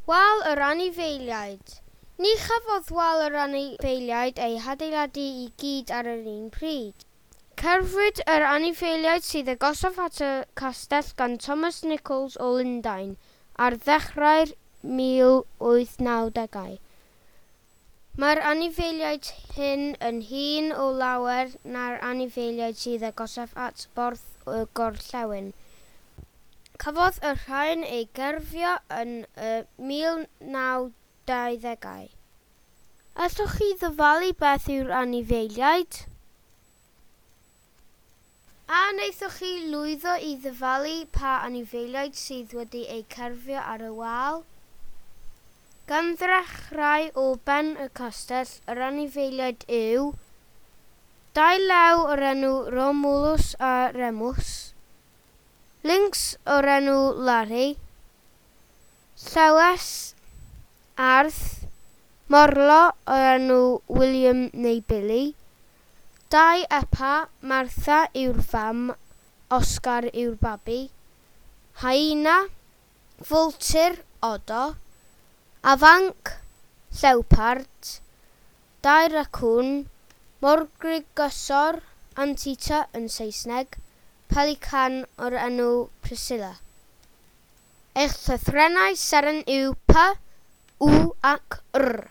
Wal yr anifeiliaid. Ni chafodd wal yr anifeiliaid ei hadeiladu i gyd ar yr un pryd. Cerfwyd yr anifeiliaid sydd agosaf at y castell gan Thomas Nichols o Lundain ar ddechrau'r 1890au. Mae'r anifeiliaid hyn yn hŷn o lawer na'r anifeiliaid sydd agosaf at Borth y Gorllewin. Cafodd y rhain eu gerfio yn y 1920au. Allwch chi ddyfalu beth yw'r anifeiliaid? A wnaethoch chi lwyddo i ddyfalu pa anifeiliaid sydd wedi eu cerfio ar y wal? Gan ddechrau o ben y castell, yr anifeiliaid yw dau lew o'r enw Romulus a Remus, lynx o'r enw Larry, llewes, arth, morlo o'r enw William neu Billy, dau epa, Martha yw'r fam, Oscar yw'r babi, hyena, vulture, odo, afanc, llewpard, dau racŵn, morgrugysor, anteater yn Saesneg, pelican o'r enw Priscilla. Eich llythrennau seren yw P, W ac R.